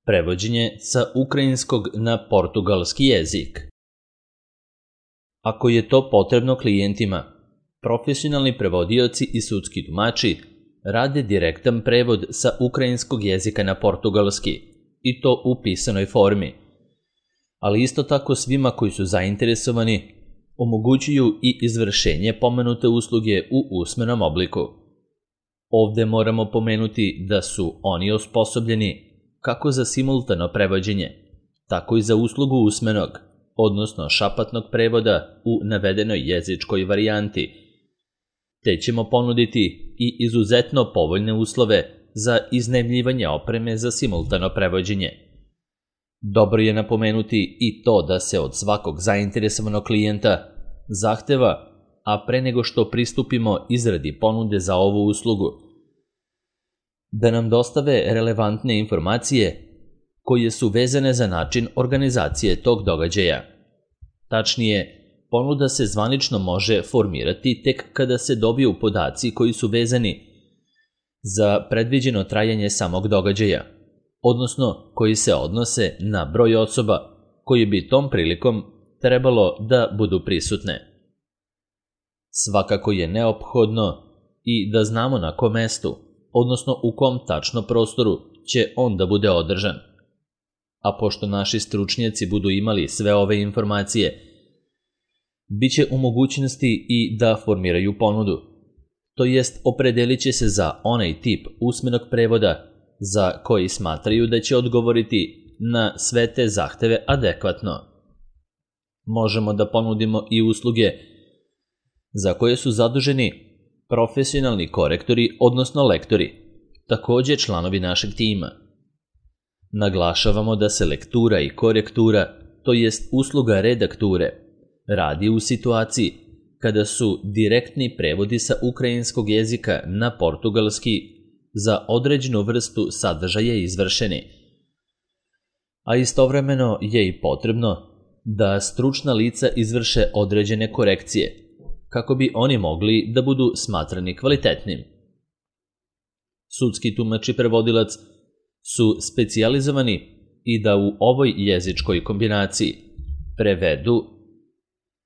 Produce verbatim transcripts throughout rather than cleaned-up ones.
Prevođenje sa ukrajinskog na portugalski jezik. Ako je to potrebno klijentima, profesionalni prevodioci i sudski tumači rade direktan prevod sa ukrajinskog jezika na portugalski, i to u pisanoj formi. Ali isto tako svima koji su zainteresovani omogućuju i izvršenje pomenute usluge u usmenom obliku. Ovde moramo pomenuti da su oni osposobljeni kako za simultano prevođenje, tako i za uslugu usmenog, odnosno šapatnog prevoda u navedenoj jezičkoj varijanti, te ćemo ponuditi i izuzetno povoljne uslove za iznajmljivanje opreme za simultano prevođenje. Dobro je napomenuti i to da se od svakog zainteresovanog klijenta zahteva, a pre nego što pristupimo izradi ponude za ovu uslugu, da nam dostave relevantne informacije koje su vezane za način organizacije tog događaja. Tačnije, ponuda se zvanično može formirati tek kada se dobiju podaci koji su vezani za predviđeno trajanje samog događaja, odnosno koji se odnose na broj osoba koji bi tom prilikom trebalo da budu prisutne. Svakako je neophodno i da znamo na kom mestu, odnosno u kom tačno prostoru će on da bude održan. A pošto naši stručnjaci budu imali sve ove informacije, bit će u mogućnosti i da formiraju ponudu, to jest opredelit će se za onaj tip usmenog prevoda za koji smatraju da će odgovoriti na sve te zahteve adekvatno. Možemo da ponudimo i usluge za koje su zaduženi profesionalni korektori, odnosno lektori, takođe članovi našeg tima. Naglašavamo da se lektura i korektura, to jest usluga redakture, radi u situaciji kada su direktni prevodi sa ukrajinskog jezika na portugalski za određenu vrstu sadržaja izvršeni. A istovremeno je i potrebno da stručna lica izvrše određene korekcije, kako bi oni mogli da budu smatrani kvalitetnim. Sudski tumač i prevodilac su specijalizovani i da u ovoj jezičkoj kombinaciji prevedu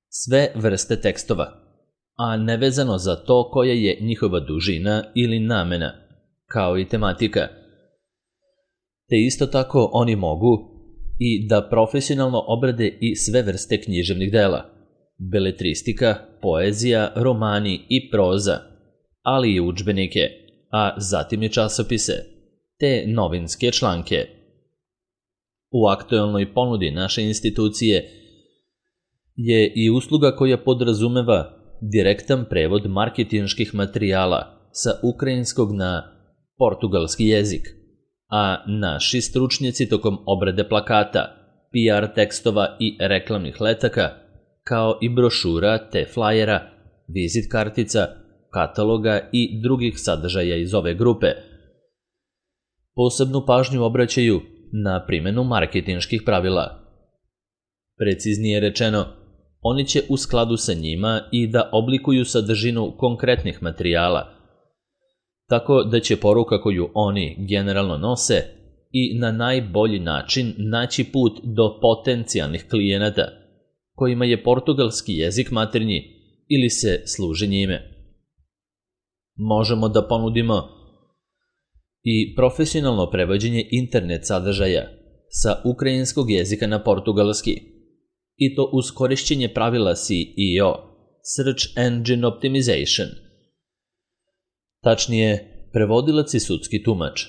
sve vrste tekstova, a nevezano za to koja je njihova dužina ili namena, kao i tematika. Te isto tako oni mogu i da profesionalno obrade i sve vrste književnih dela, beletristika, poezija, romani i proza, ali i udžbenike, a zatim i časopise, te novinske članke. U aktuelnoj ponudi naše institucije je i usluga koja podrazumeva direktan prevod marketinških materijala sa ukrajinskog na portugalski jezik, a naši stručnjaci tokom obrade plakata, P R tekstova i reklamnih letaka, kao i brošura te flajera, vizit kartica, kataloga i drugih sadržaja iz ove grupe, posebnu pažnju obraćaju na primjenu marketinških pravila. Preciznije rečeno, oni će u skladu sa njima i da oblikuju sadržinu konkretnih materijala, tako da će poruka koju oni generalno nose i na najbolji način naći put do potencijalnih klijenata, kojima je portugalski jezik maternji ili se služi njime. Možemo da ponudimo i profesionalno prevođenje internet sadržaja sa ukrajinskog jezika na portugalski, i to uz korišćenje pravila S E O, Search Engine Optimization. Tačnije, prevodilac i sudski tumač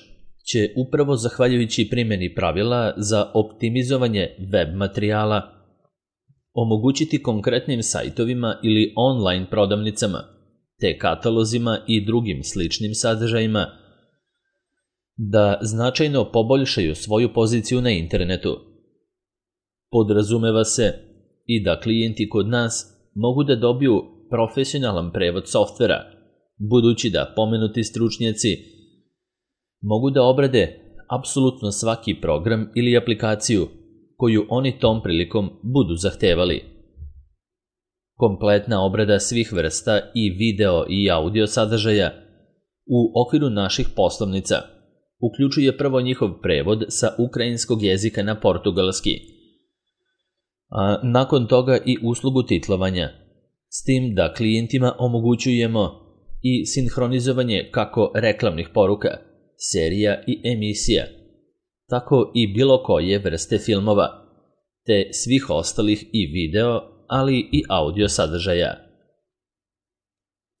će upravo zahvaljujući primjeni pravila za optimizovanje web materijala omogućiti konkretnim sajtovima ili online prodavnicama, te katalozima i drugim sličnim sadržajima da značajno poboljšaju svoju poziciju na internetu. Podrazumeva se i da klijenti kod nas mogu da dobiju profesionalan prevod softvera, budući da pomenuti stručnjaci mogu da obrade apsolutno svaki program ili aplikaciju koju oni tom prilikom budu zahtevali. Kompletna obrada svih vrsta i video i audio sadržaja u okviru naših poslovnica uključuje prvo njihov prevod sa ukrajinskog jezika na portugalski, a nakon toga i uslugu titlovanja, s tim da klijentima omogućujemo i sinhronizovanje kako reklamnih poruka, serija i emisija, tako i bilo koje vrste filmova, te svih ostalih i video, ali i audio sadržaja.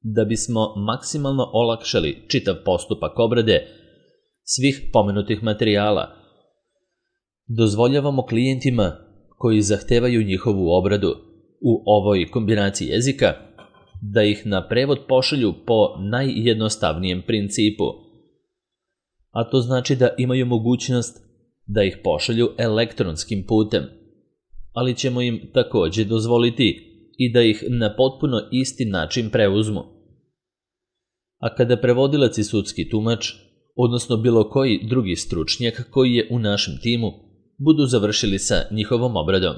Da bismo maksimalno olakšali čitav postupak obrade svih pomenutih materijala, dozvoljavamo klijentima koji zahtevaju njihovu obradu u ovoj kombinaciji jezika da ih na prevod pošalju po najjednostavnijem principu, a to znači da imaju mogućnost da ih pošalju elektronskim putem, ali ćemo im takođe dozvoliti i da ih na potpuno isti način preuzmu. A kada prevodilac i sudski tumač, odnosno bilo koji drugi stručnjak koji je u našem timu, budu završili sa njihovom obradom.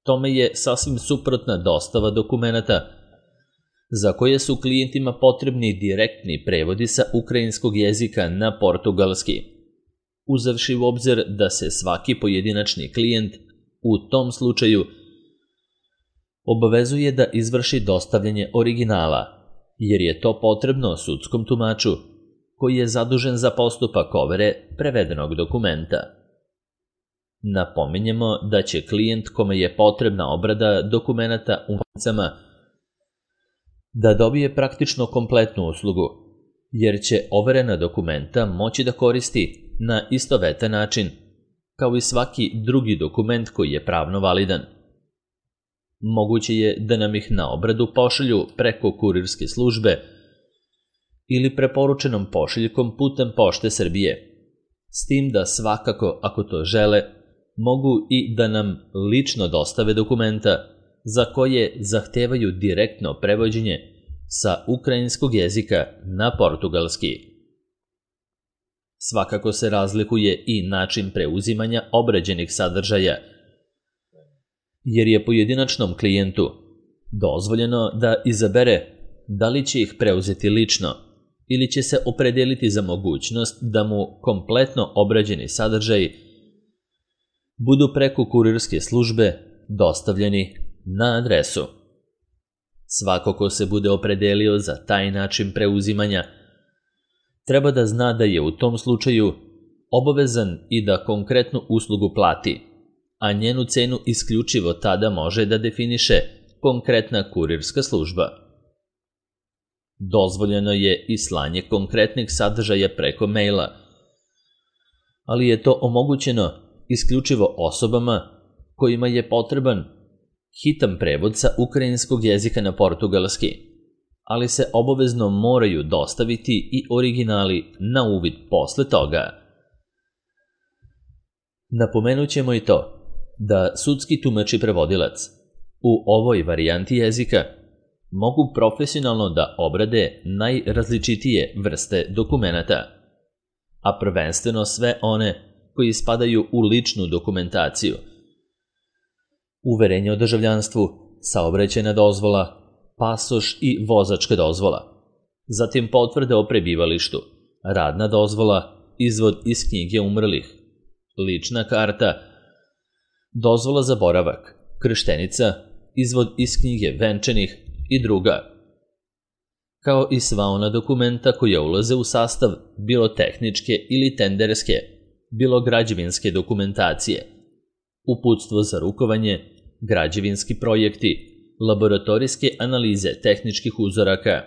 Tome je sasvim suprotna dostava dokumenata, za koje su klijentima potrebni direktni prevodi sa ukrajinskog jezika na portugalski, uzevši u obzir da se svaki pojedinačni klijent u tom slučaju obavezuje da izvrši dostavljanje originala, jer je to potrebno sudskom tumaču koji je zadužen za postupak overe prevedenog dokumenta. Napominjemo da će klijent kome je potrebna obrada dokumenata u maticama da dobije praktično kompletnu uslugu, jer će overena dokumenta moći da koristi na istovetan način, kao i svaki drugi dokument koji je pravno validan. Moguće je da nam ih na obradu pošalju preko kurirske službe ili preporučenom pošiljkom putem Pošte Srbije, s tim da svakako, ako to žele, mogu i da nam lično dostave dokumenta za koje zahtevaju direktno prevođenje sa ukrajinskog jezika na portugalski. Svakako se razlikuje i način preuzimanja obrađenih sadržaja, jer je pojedinačnom klijentu dozvoljeno da izabere da li će ih preuzeti lično ili će se opredeliti za mogućnost da mu kompletno obrađeni sadržaj budu preko kurirske službe dostavljeni na adresu. Svako ko se bude opredelio za taj način preuzimanja treba da zna da je u tom slučaju obavezan i da konkretnu uslugu plati, a njenu cenu isključivo tada može da definiše konkretna kurirska služba. Dozvoljeno je i slanje konkretnih sadržaja preko maila, ali je to omogućeno isključivo osobama kojima je potreban hitan prevod sa ukrajinskog jezika na portugalski, ali se obavezno moraju dostaviti i originali na uvid posle toga. Napomenut ćemo i to da sudski tumač i prevodilac u ovoj varijanti jezika mogu profesionalno da obrade najrazličitije vrste dokumenata, a prvenstveno sve one koji spadaju u ličnu dokumentaciju, uverenje o državljanstvu, saobraćajna dozvola, pasoš i vozačka dozvola, zatim potvrde o prebivalištu, radna dozvola, izvod iz knjige umrlih, lična karta, dozvola za boravak, krštenica, izvod iz knjige venčanih i druga, kao i sva ona dokumenta koja ulaze u sastav bilo tehničke ili tenderske, bilo građevinske dokumentacije, uputstvo za rukovanje, građevinski projekti, laboratorijske analize tehničkih uzoraka,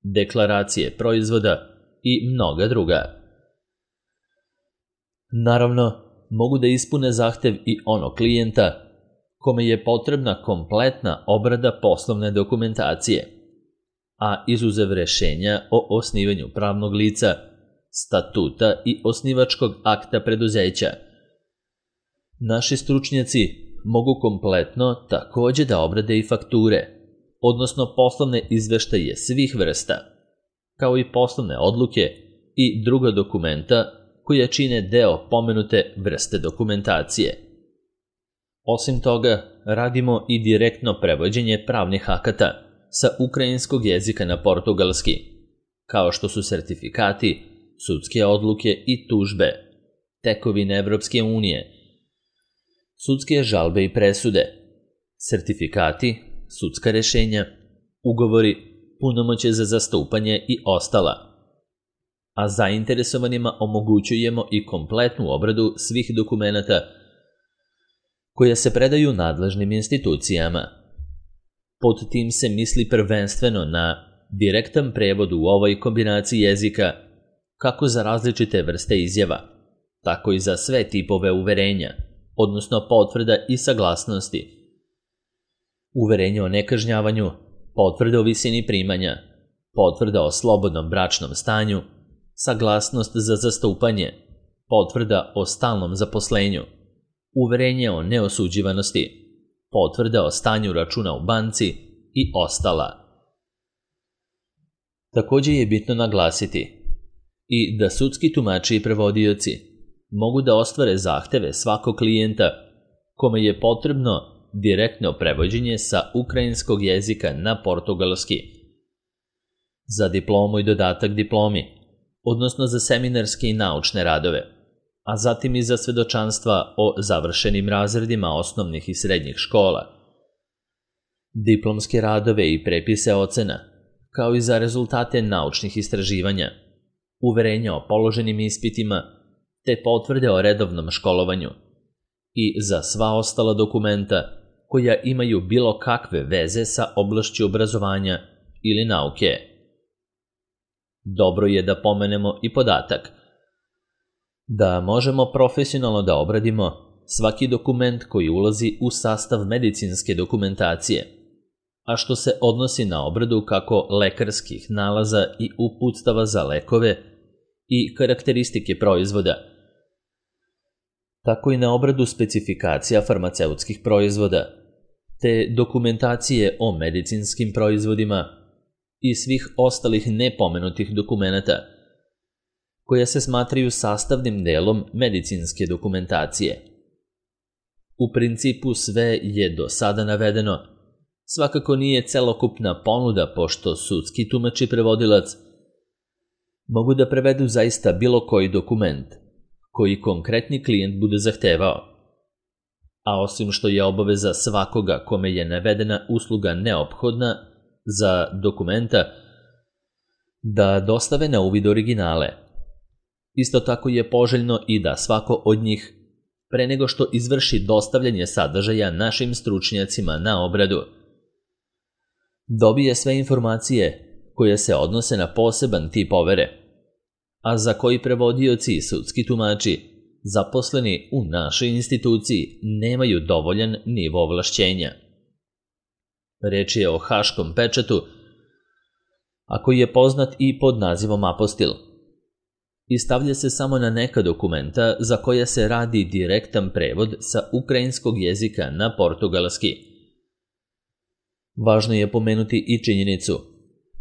deklaracije proizvoda i mnoga druga. Naravno, mogu da ispune zahtev i ono klijenta kome je potrebna kompletna obrada poslovne dokumentacije, a izuzev rešenja o osnivanju pravnog lica, statuta i osnivačkog akta preduzeća. Naši stručnjaci mogu kompletno takođe da obrade i fakture, odnosno poslovne izveštaje svih vrsta, kao i poslovne odluke i druga dokumenta koja čine deo pomenute vrste dokumentacije. Osim toga, radimo i direktno prevođenje pravnih akata sa ukrajinskog jezika na portugalski, kao što su sertifikati, sudske odluke i tužbe, tekovine Evropske unije, sudske žalbe i presude, sertifikati, sudska rešenja, ugovori, punomoćje za zastupanje i ostala. A zainteresovanima omogućujemo i kompletnu obradu svih dokumenata koja se predaju nadležnim institucijama. Pod tim se misli prvenstveno na direktan prevod u ovoj kombinaciji jezika, kako za različite vrste izjava, tako i za sve tipove uverenja, odnosno potvrda i saglasnosti. Uverenje o nekažnjavanju, potvrda o visini primanja, potvrda o slobodnom bračnom stanju, saglasnost za zastupanje, potvrda o stalnom zaposlenju, uverenje o neosuđivanosti, potvrda o stanju računa u banci i ostala. Također je bitno naglasiti i da sudski tumači i prevodioci mogu da ostvare zahteve svakog klijenta kome je potrebno direktno prevođenje sa ukrajinskog jezika na portugalski, za diplomu i dodatak diplomi, odnosno za seminarske i naučne radove, a zatim i za svedočanstva o završenim razredima osnovnih i srednjih škola, diplomske radove i prepise ocena, kao i za rezultate naučnih istraživanja, uverenja o položenim ispitima, te potvrde o redovnom školovanju i za sva ostala dokumenta koja imaju bilo kakve veze sa oblašću obrazovanja ili nauke. Dobro je da pomenemo i podatak da možemo profesionalno da obradimo svaki dokument koji ulazi u sastav medicinske dokumentacije, a što se odnosi na obradu kako lekarskih nalaza i uputstava za lekove i karakteristike proizvoda, tako i na obradu specifikacija farmaceutskih proizvoda, te dokumentacije o medicinskim proizvodima i svih ostalih nepomenutih dokumenata, koja se smatraju sastavnim delom medicinske dokumentacije. U principu sve je do sada navedeno, svakako nije celokupna ponuda, pošto sudski tumač i prevodilac mogu da prevedu zaista bilo koji dokument koji konkretni klijent bude zahtevao. A osim što je obaveza svakoga kome je navedena usluga neophodna za dokumenta da dostave na uvid originale, isto tako je poželjno i da svako od njih, pre nego što izvrši dostavljanje sadržaja našim stručnjacima na obradu, dobije sve informacije koje se odnose na poseban tip overe, a za koji prevodioci i sudski tumači zaposleni u našoj instituciji nemaju dovoljan nivo ovlašćenja. Reč je o haškom pečatu, a koji je poznat i pod nazivom apostil, i stavlja se samo na neka dokumenta za koja se radi direktan prevod sa ukrajinskog jezika na portugalski. Važno je pomenuti i činjenicu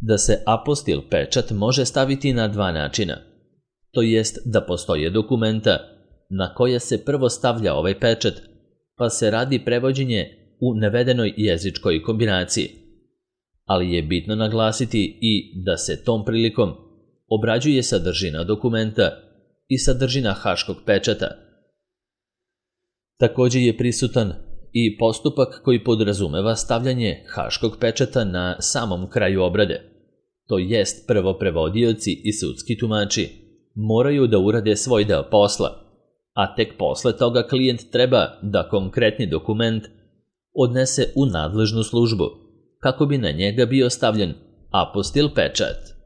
da se apostil pečat može staviti na dva načina, to jest da postoje dokumenta na koja se prvo stavlja ovaj pečat, pa se radi prevođenje u navedenoj jezičkoj kombinaciji, ali je bitno naglasiti i da se tom prilikom obrađuje sadržina dokumenta i sadržina haškog pečata. Također je prisutan i postupak koji podrazumeva stavljanje haškog pečata na samom kraju obrade, to jest prvo prevodioci i sudski tumači moraju da urade svoj deo posla, a tek posle toga klijent treba da konkretni dokument odnese u nadležnu službu, kako bi na njega bio stavljen apostil pečat.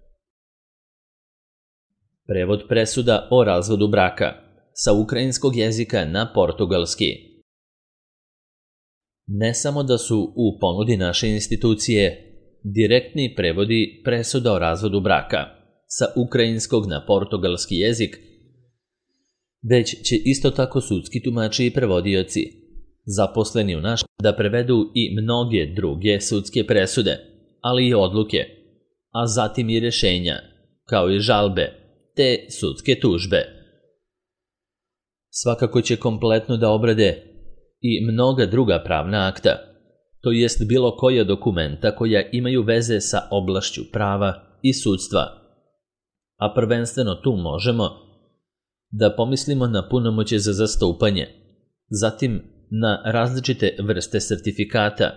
Prevod presuda o razvodu braka sa ukrajinskog jezika na portugalski. Ne samo da su u ponudi naše institucije direktni prevodi presuda o razvodu braka sa ukrajinskog na portugalski jezik, već će isto tako sudski tumači i prevodioci zaposleni u naš da prevedu i mnoge druge sudske presude, ali i odluke, a zatim i rešenja, kao i žalbe, te sudske tužbe. Svakako će kompletno da obrade i mnoga druga pravna akta, to jest bilo koja dokumenta koja imaju veze sa oblašću prava i sudstva, a prvenstveno tu možemo da pomislimo na punomoćje za zastupanje, zatim na različite vrste sertifikata,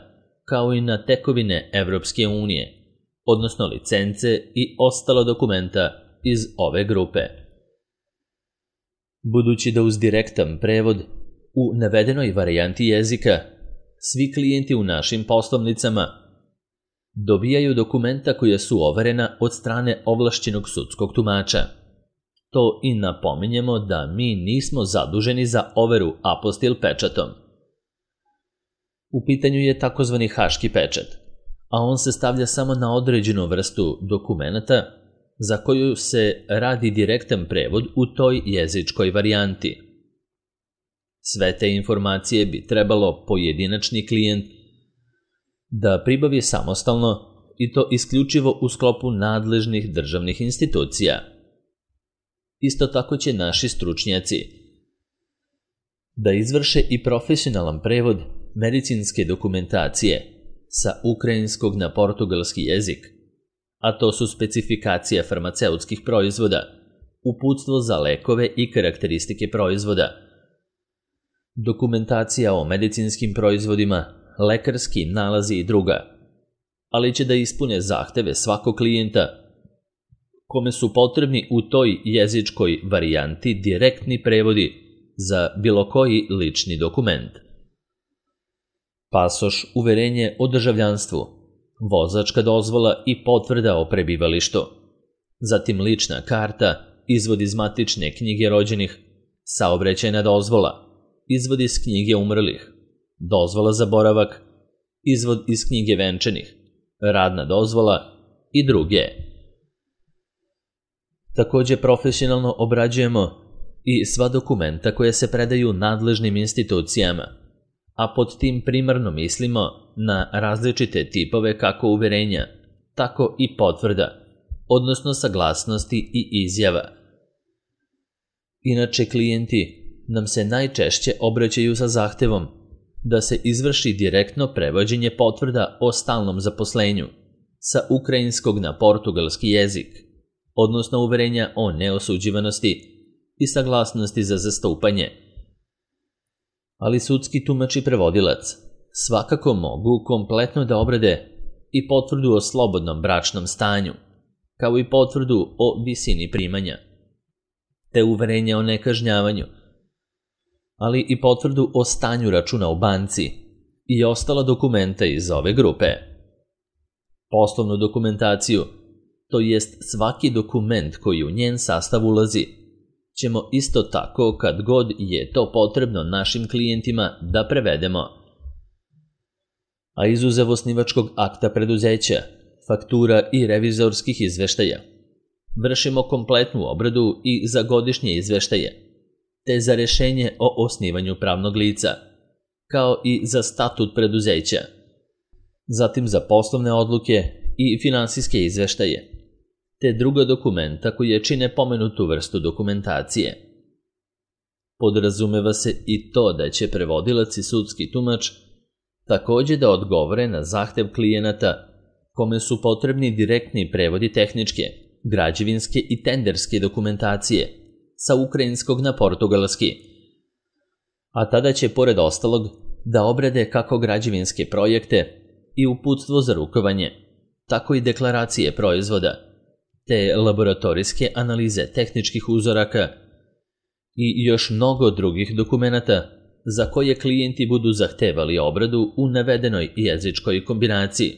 kao i na tekovine Evropske unije, odnosno licence i ostala dokumenta iz ove grupe. Budući da uz direktan prevod u navedenoj varijanti jezika svi klijenti u našim poslovnicama dobijaju dokumenta koja su overena od strane ovlašćenog sudskog tumača. To i napominjemo da mi nismo zaduženi za overu apostil pečatom. U pitanju je takozvani haški pečat, a on se stavlja samo na određenu vrstu dokumenata za koju se radi direktan prevod u toj jezičkoj varijanti. Sve te informacije bi trebalo pojedinačni klijent da pribavi samostalno i to isključivo u sklopu nadležnih državnih institucija. Isto tako će naši stručnjaci da izvrše i profesionalan prevod medicinske dokumentacije sa ukrajinskog na portugalski jezik, a to su specifikacija farmaceutskih proizvoda, uputstvo za lekove i karakteristike proizvoda, dokumentacija o medicinskim proizvodima, lekarski nalazi i druga, ali će da ispune zahteve svakog klijenta kome su potrebni u toj jezičkoj varijanti direktni prevodi za bilo koji lični dokument. Pasoš, uverenje o državljanstvu, vozačka dozvola i potvrda o prebivalištu, zatim lična karta, izvod iz matične knjige rođenih, saobraćajna dozvola, izvod iz knjige umrlih, dozvola za boravak, izvod iz knjige venčanih, radna dozvola i druge. Takođe profesionalno obrađujemo i sva dokumenta koje se predaju nadležnim institucijama, a pod tim primarno mislimo na različite tipove kako uverenja, tako i potvrda, odnosno saglasnosti i izjava. Inače, klijenti nam se najčešće obraćaju sa zahtevom da se izvrši direktno prevođenje potvrda o stalnom zaposlenju sa ukrajinskog na portugalski jezik, odnosno uverenja o neosuđivanosti i saglasnosti za zastupanje. Ali sudski tumač i prevodilac svakako mogu kompletno da obrade i potvrdu o slobodnom bračnom stanju, kao i potvrdu o visini primanja, te uverenja o nekažnjavanju, ali i potvrdu o stanju računa u banci i ostala dokumenta iz ove grupe. Poslovnu dokumentaciju, to jest svaki dokument koji u njen sastav ulazi, ćemo isto tako kad god je to potrebno našim klijentima da prevedemo. A izuzev osnivačkog akta preduzeća, faktura i revizorskih izveštaja, vršimo kompletnu obradu i za godišnje izveštaje, te za rešenje o osnivanju pravnog lica, kao i za statut preduzeća, zatim za poslovne odluke i finansijske izveštaje, te druga dokumenta koje čine pomenutu vrstu dokumentacije. Podrazumeva se i to da će prevodilac i sudski tumač takođe da odgovore na zahtev klijenata kome su potrebni direktni prevodi tehničke, građevinske i tenderske dokumentacije sa ukrajinskog na portugalski, a tada će pored ostalog da obrade kako građevinske projekte i uputstvo za rukovanje, tako i deklaracije proizvoda, te laboratorijske analize tehničkih uzoraka i još mnogo drugih dokumenata za koje klijenti budu zahtevali obradu u navedenoj jezičkoj kombinaciji,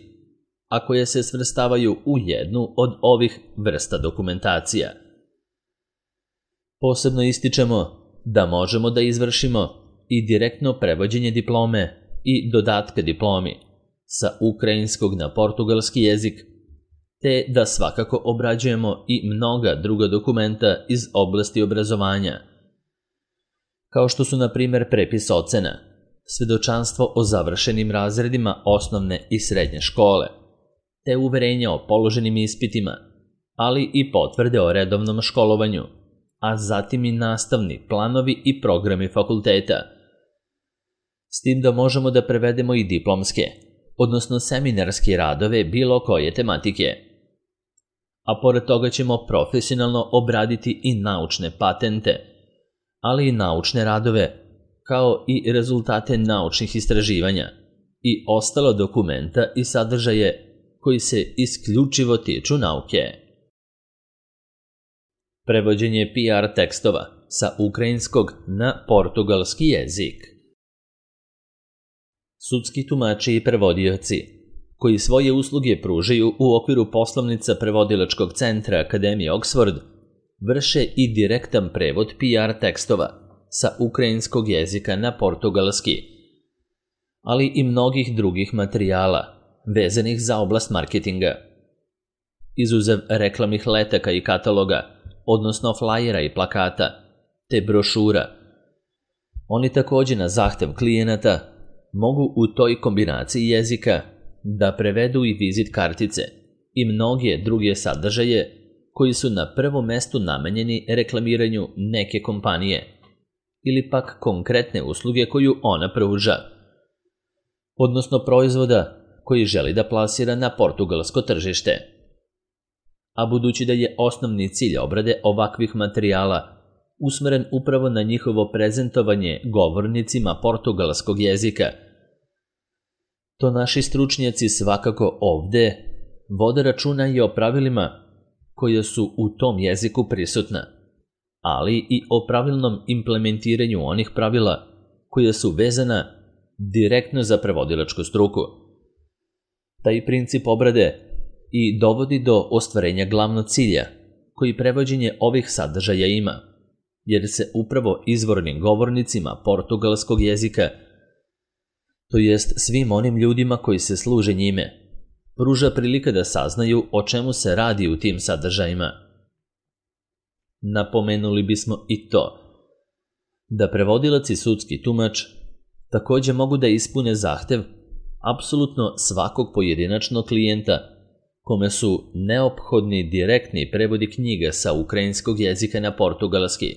a koje se svrstavaju u jednu od ovih vrsta dokumentacija. Posebno ističemo da možemo da izvršimo i direktno prevođenje diplome i dodatka diplomi sa ukrajinskog na portugalski jezik, te da svakako obrađujemo i mnoga druga dokumenta iz oblasti obrazovanja, kao što su na primer prepis ocena, svedočanstvo o završenim razredima osnovne i srednje škole, te uverenja o položenim ispitima, ali i potvrde o redovnom školovanju, a zatim i nastavni planovi i programi fakulteta. S tim da možemo da prevedemo i diplomske, odnosno seminarske radove bilo koje tematike. a pored toga ćemo profesionalno obraditi i naučne patente, ali i naučne radove, kao i rezultate naučnih istraživanja i ostala dokumenta i sadržaje koji se isključivo tiču nauke. Prevođenje P R tekstova sa ukrajinskog na portugalski jezik. Sudski tumači i prevodioci, koji svoje usluge pružaju u okviru poslovnica prevodilačkog centra Akademije Oxford, vrše i direktan prevod P R tekstova sa ukrajinskog jezika na portugalski, ali i mnogih drugih materijala vezanih za oblast marketinga. Izuzev reklamnih letaka i kataloga, odnosno flajera i plakata, te brošura, oni takođe na zahtev klijenata mogu u toj kombinaciji jezika da prevedu i vizit kartice i mnoge druge sadržaje koji su na prvom mestu namenjeni reklamiranju neke kompanije ili pak konkretne usluge koju ona pruža, odnosno proizvoda koji želi da plasira na portugalsko tržište. A budući da je osnovni cilj obrade ovakvih materijala usmeren upravo na njihovo prezentovanje govornicima portugalskog jezika, to naši stručnjaci svakako ovde vode računa i o pravilima koja su u tom jeziku prisutna, ali i o pravilnom implementiranju onih pravila koja su vezana direktno za prevodilačku struku. Taj princip obrade i dovodi do ostvarenja glavnog cilja koji prevođenje ovih sadržaja ima, jer se upravo izvornim govornicima portugalskog jezika, to jest svim onim ljudima koji se služe njime, pruža prilika da saznaju o čemu se radi u tim sadržajima. Napomenuli bismo i to da prevodilac i sudski tumač takođe mogu da ispune zahtev apsolutno svakog pojedinačnog klijenta kome su neophodni direktni prevodi knjiga sa ukrajinskog jezika na portugalski.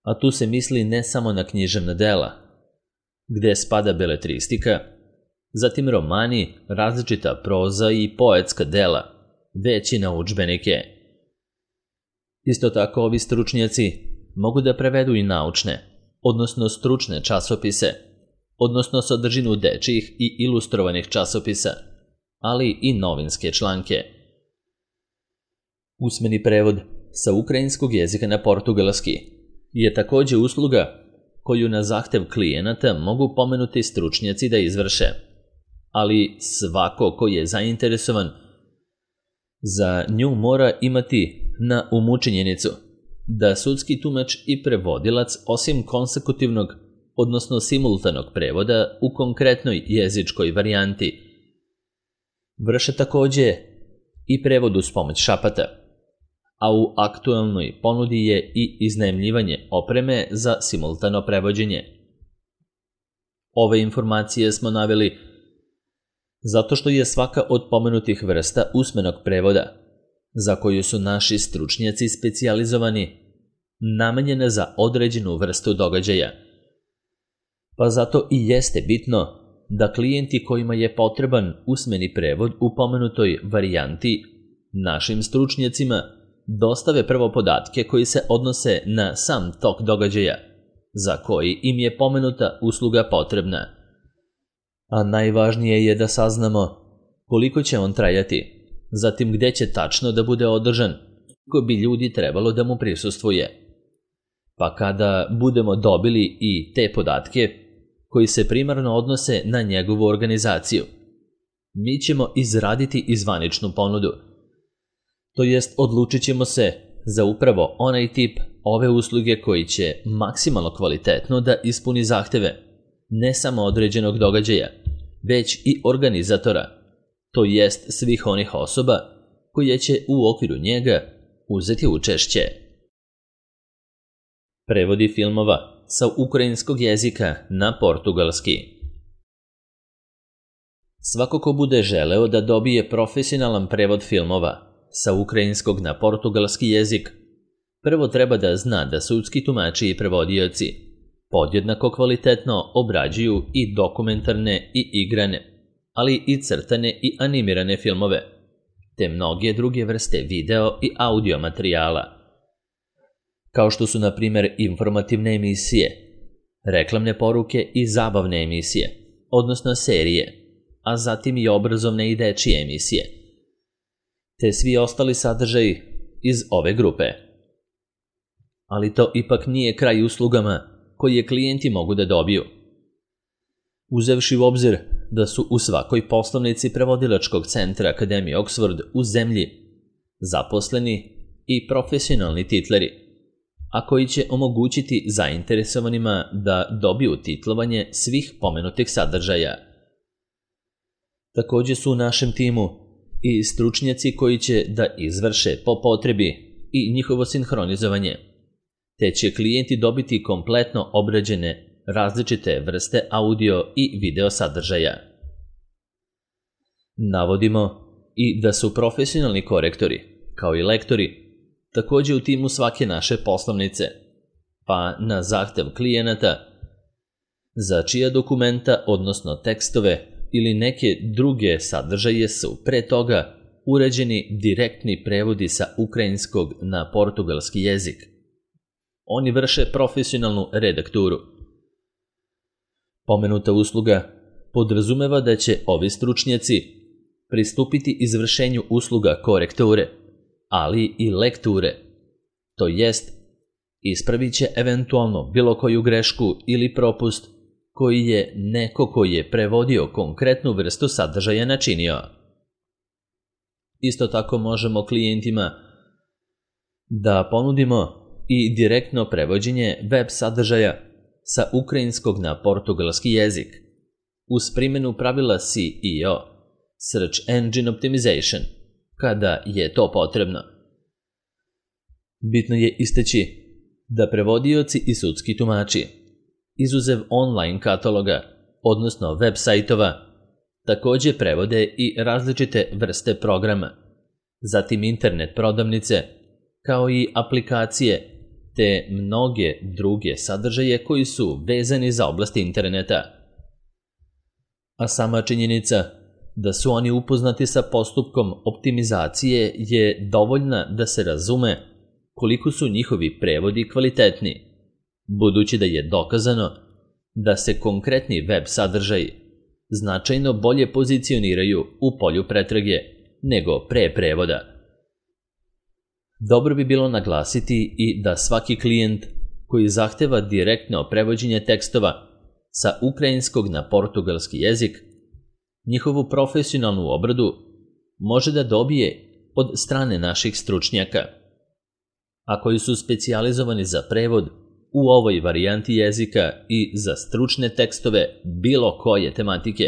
A tu se misli ne samo na književna dela, gde spada beletristika, zatim romani, različita proza i poetska dela, već i na udžbenike. Isto tako ovi stručnjaci mogu da prevedu i naučne, odnosno stručne časopise, odnosno sadržinu dečijih i ilustrovanih časopisa, ali i novinske članke. Usmeni prevod sa ukrajinskog jezika na portugalski je takođe usluga koju na zahtev klijenata mogu pomenuti stručnjaci da izvrše, ali svako ko je zainteresovan za nju mora imati na umu činjenicu da sudski tumač i prevodilac osim konsekutivnog, odnosno simultanog prevoda u konkretnoj jezičkoj varijanti, vrše takođe i prevod uz pomoć šapata, a u aktuelnoj ponudi je i iznajmljivanje opreme za simultano prevođenje. Ove informacije smo naveli zato što je svaka od pomenutih vrsta usmenog prevoda, za koju su naši stručnjaci specijalizovani, namenjena za određenu vrstu događaja. Pa zato i jeste bitno da klijenti kojima je potreban usmeni prevod u pomenutoj varijanti našim stručnjacima dostave prvo podatke koji se odnose na sam tok događaja, za koji im je pomenuta usluga potrebna. A najvažnije je da saznamo koliko će on trajati, zatim gde će tačno da bude održan, koliko bi ljudi trebalo da mu prisustvuje. Pa kada budemo dobili i te podatke koji se primarno odnose na njegovu organizaciju, mi ćemo izraditi i zvaničnu ponudu. To jest odlučit ćemo se za upravo onaj tip ove usluge koji će maksimalno kvalitetno da ispuni zahteve ne samo određenog događaja, već i organizatora, to jest svih onih osoba koje će u okviru njega uzeti učešće. Prevodi filmova sa ukrajinskog jezika na portugalski. Svako ko bude želeo da dobije profesionalan prevod filmova sa ukrajinskog na portugalski jezik, prvo treba da zna da sudski tumači i prevodioci podjednako kvalitetno obrađuju i dokumentarne i igrane, ali i crtane i animirane filmove, te mnoge druge vrste video i audio materijala, kao što su na primjer informativne emisije, reklamne poruke i zabavne emisije, odnosno serije, a zatim i obrazovne i dečije emisije, te svi ostali sadržaji iz ove grupe. Ali to ipak nije kraj uslugama koje klijenti mogu da dobiju. Uzevši u obzir da su u svakoj poslovnici prevodilačkog centra Akademije Oxford u zemlji zaposleni i profesionalni titleri, a koji će omogućiti zainteresovanima da dobiju titlovanje svih pomenutih sadržaja. Također su u našem timu i stručnjaci koji će da izvrše po potrebi i njihovo sinhronizovanje, te će klijenti dobiti kompletno obrađene različite vrste audio i video sadržaja. Navodimo i da su profesionalni korektori, kao i lektori, također u timu svake naše poslovnice, pa na zahtev klijenata, za čija dokumenta, odnosno tekstove ili neke druge sadržaje su pre toga urađeni direktni prevodi sa ukrajinskog na portugalski jezik. Oni vrše profesionalnu redakturu. Pomenuta usluga podrazumeva da će ovi stručnjaci pristupiti izvršenju usluga korekture, ali i lekture, to jest ispravit će eventualno bilo koju grešku ili propust koji je neko koji je prevodio konkretnu vrstu sadržaja načinio. Isto tako možemo klijentima da ponudimo i direktno prevođenje web sadržaja sa ukrajinskog na portugalski jezik, uz primjenu pravila S E O, Search Engine Optimization, kada je to potrebno. Bitno je istaći da prevodioci i sudski tumači, izuzev online kataloga, odnosno web sajtova, također prevode i različite vrste programa, zatim internet prodavnice, kao i aplikacije, te mnoge druge sadržaje koji su vezani za oblast interneta. A sama činjenica da su oni upoznati sa postupkom optimizacije je dovoljna da se razume koliko su njihovi prevodi kvalitetni, budući da je dokazano da se konkretni web sadržaji značajno bolje pozicioniraju u polju pretrage nego pre prevoda. Dobro bi bilo naglasiti i da svaki klijent koji zahteva direktno prevođenje tekstova sa ukrajinskog na portugalski jezik, njihovu profesionalnu obradu može da dobije od strane naših stručnjaka, a koji su specijalizovani za prevod u ovoj varijanti jezika i za stručne tekstove bilo koje tematike,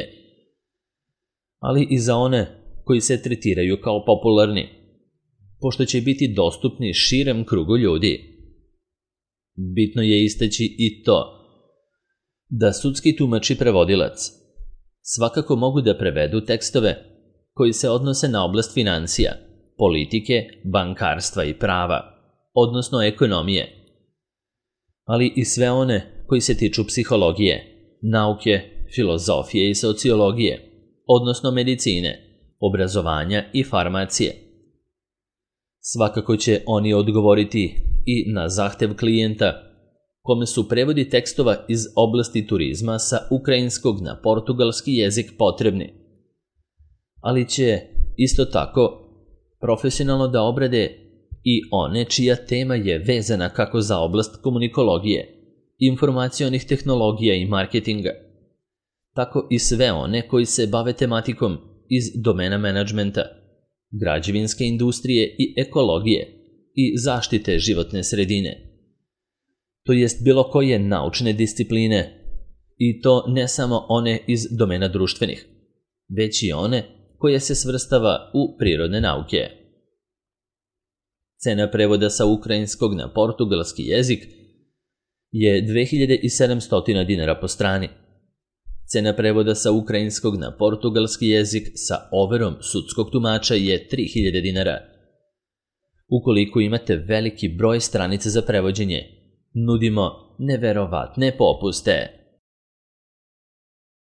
ali i za one koji se tretiraju kao popularni, pošto će biti dostupni širem krugu ljudi. Bitno je istaći i to da sudski tumač i prevodilac svakako mogu da prevedu tekstove koji se odnose na oblast financija, politike, bankarstva i prava, odnosno ekonomije, ali i sve one koji se tiču psihologije, nauke, filozofije i sociologije, odnosno medicine, obrazovanja i farmacije. Svakako će oni odgovoriti i na zahtev klijenta kome su prevodi tekstova iz oblasti turizma sa ukrajinskog na portugalski jezik potrebni, ali će isto tako profesionalno da obrade i one čija tema je vezana kako za oblast komunikologije, informacionih tehnologija i marketinga, tako i sve one koji se bave tematikom iz domena menadžmenta, građevinske industrije i ekologije i zaštite životne sredine, to jest bilo koje naučne discipline, i to ne samo one iz domena društvenih, već i one koje se svrstava u prirodne nauke. Cena prevoda sa ukrajinskog na portugalski jezik je dve hiljade sedamsto dinara po strani. Cena prevoda sa ukrajinskog na portugalski jezik sa overom sudskog tumača je tri hiljade dinara. Ukoliko imate veliki broj stranica za prevođenje, nudimo neverovatne popuste.